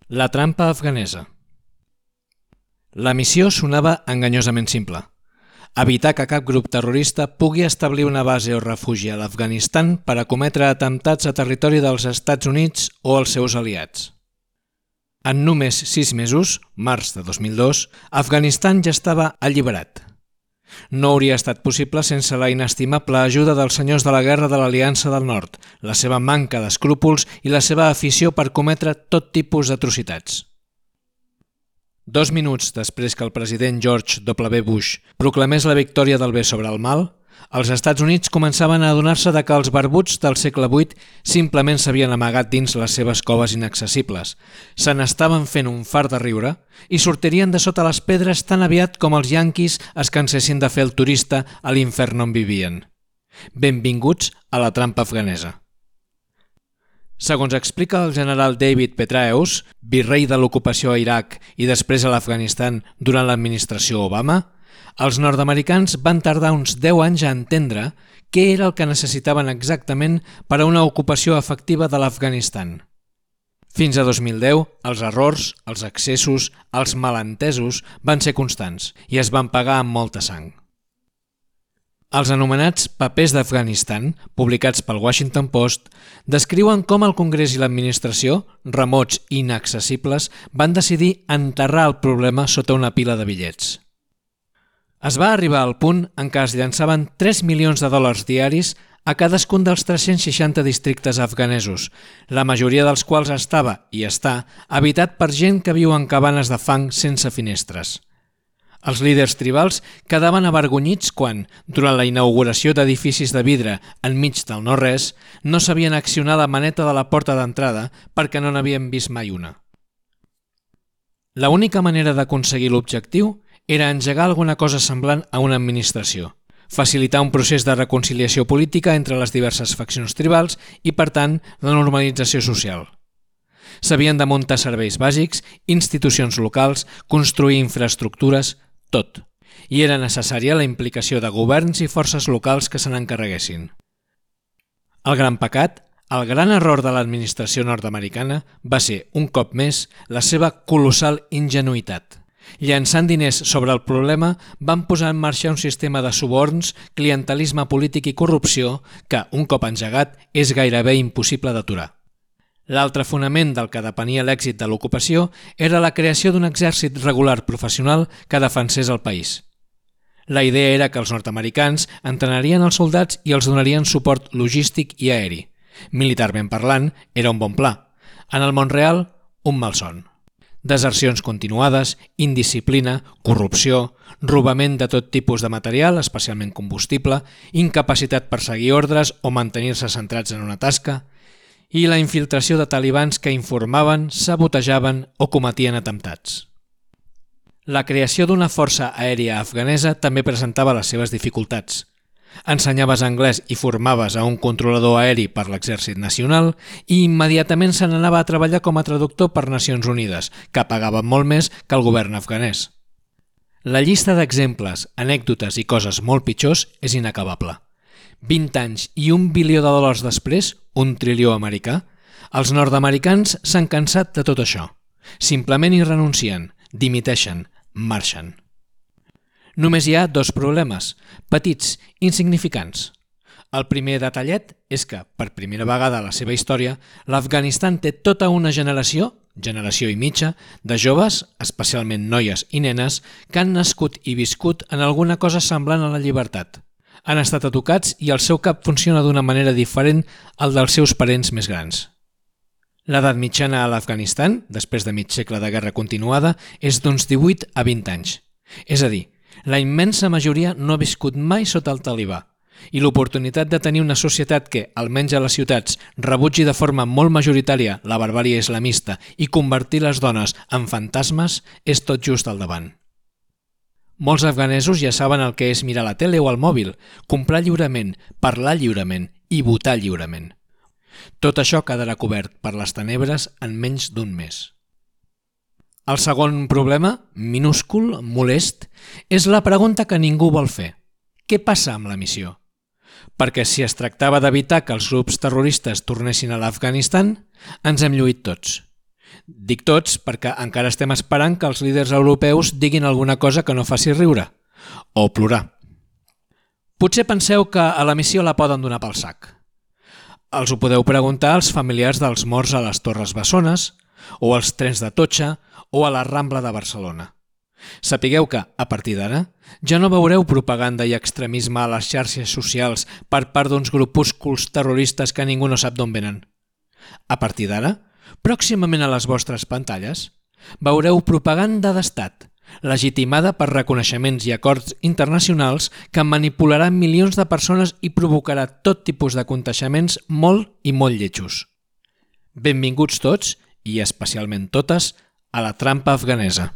La trampa afganesa. La missió sonava enganyosament simple. Evitar que cap grup terrorista pugui establir una base o refugi a l'Afganistan per a cometre atemptats a territori dels Estats Units o els seus aliats. En només 6 mesos, març de 2002, Afganistan ja estava alliberat. No hauria estat possible sense la inestimable ajuda dels senyors de la guerra de l'Aliança del Nord, la seva manca d'escrúpols i la seva afició per cometre tot tipus d'atrocitats. 2 minuts després que el president George W. Bush proclamés la victòria del bé sobre el mal, els Estats Units començaven a adonar-se que els barbuts del segle VIII simplement s'havien amagat dins les seves coves inaccessibles, se n'estaven fent un fart de riure i sortirien de sota les pedres tan aviat com els yanquis es cansessin de fer el turista a l'infern on vivien. Benvinguts a la trampa afganesa. Segons explica el general David Petraeus, virrei de l'ocupació a Iraq i després a l'Afganistan durant l'administració Obama, els nord-americans van tardar uns 10 anys a entendre què era el que necessitaven exactament per a una ocupació efectiva de l'Afganistan. Fins a 2010, els errors, els excessos, els malentesos van ser constants i es van pagar amb molta sang. Els anomenats papers d'Afganistan, publicats pel Washington Post, descriuen com el Congrés i l'administració, remots i inaccessibles, van decidir enterrar el problema sota una pila de bitllets. Es va arribar al punt en què es llançaven 3 milions de dòlars diaris a cadascun dels 360 districtes afganesos, la majoria dels quals estava i està habitat per gent que viu en cabanes de fang sense finestres. Els líders tribals quedaven avergonyits quan, durant la inauguració d'edificis de vidre enmig del no-res, no sabien accionar la maneta de la porta d'entrada perquè no n'havien vist mai una. L'única manera d'aconseguir l'objectiu era engegar alguna cosa semblant a una administració, facilitar un procés de reconciliació política entre les diverses faccions tribals i, per tant, la normalització social. S'havien de muntar serveis bàsics, institucions locals, construir infraestructures, tot. I era necessària la implicació de governs i forces locals que se n'encarreguessin. El gran pecat, el gran error de l'administració nord-americana va ser, un cop més, la seva colossal ingenuïtat. Llançant diners sobre el problema, van posar en marxa un sistema de suborns, clientelisme polític i corrupció que, un cop engegat, és gairebé impossible d'aturar. L'altre fonament del que depenia l'èxit de l'ocupació era la creació d'un exèrcit regular professional que defensés el país. La idea era que els nord-americans entrenarien els soldats i els donarien suport logístic i aeri. Militarment parlant, era un bon pla. En el món real, un malson. Desercions continuades, indisciplina, corrupció, robament de tot tipus de material, especialment combustible, incapacitat per seguir ordres o mantenir-se centrats en una tasca, i la infiltració de talibans que informaven, sabotejaven o cometien atemptats. La creació d'una força aèria afganesa també presentava les seves dificultats. Ensenyaves anglès i formaves a un controlador aeri per l'Exèrcit Nacional i immediatament se n'anava a treballar com a traductor per Nacions Unides, que pagaven molt més que el govern afganès. La llista d'exemples, anècdotes i coses molt pitjors és inacabable. 20 anys i $1 bilió després, $1 trilió americà, els nord-americans s'han cansat de tot això. Simplement hi renuncien, dimiteixen, marxen. Només hi ha 2 problemes, petits, insignificants. El primer detallet és que, per primera vegada a la seva història, l'Afganistan té tota una generació i mitja, de joves, especialment noies i nenes, que han nascut i viscut en alguna cosa semblant a la llibertat. Han estat educats i el seu cap funciona d'una manera diferent al dels seus parents més grans. L'edat mitjana a l'Afganistan, després de mig segle de guerra continuada, és d'uns 18 a 20 anys. És a dir, la immensa majoria no ha viscut mai sota el talibà i l'oportunitat de tenir una societat que, almenys a les ciutats, rebutgi de forma molt majoritària la barbàrie islamista i convertir les dones en fantasmes és tot just al davant. Molts afganesos ja saben el que és mirar la tele o el mòbil, comprar lliurement, parlar lliurement i votar lliurement. Tot això quedarà cobert per les tenebres en menys d'un mes. El segon problema, minúscul, molest, és la pregunta que ningú vol fer. Què passa amb la missió? Perquè si es tractava d'evitar que els grups terroristes tornessin a l'Afganistan, ens hem lluït tots. Dic tots perquè encara estem esperant que els líders europeus diguin alguna cosa que no faci riure o plorar. Potser penseu que a la missió la poden donar pel sac. Els ho podeu preguntar als familiars dels morts a les Torres Bessones, o als trens de Totxa, o a la Rambla de Barcelona. Sapigueu que, a partir d'ara, ja no veureu propaganda i extremisme a les xarxes socials per part d'uns grupúsculs terroristes que ningú no sap d'on venen. A partir d'ara, pròximament a les vostres pantalles, veureu propaganda d'estat, legitimada per reconeixements i acords internacionals que manipularan milions de persones i provocarà tot tipus de contagiaments molt i molt lletjos. Benvinguts tots, i especialment totes, a la trampa afganesa.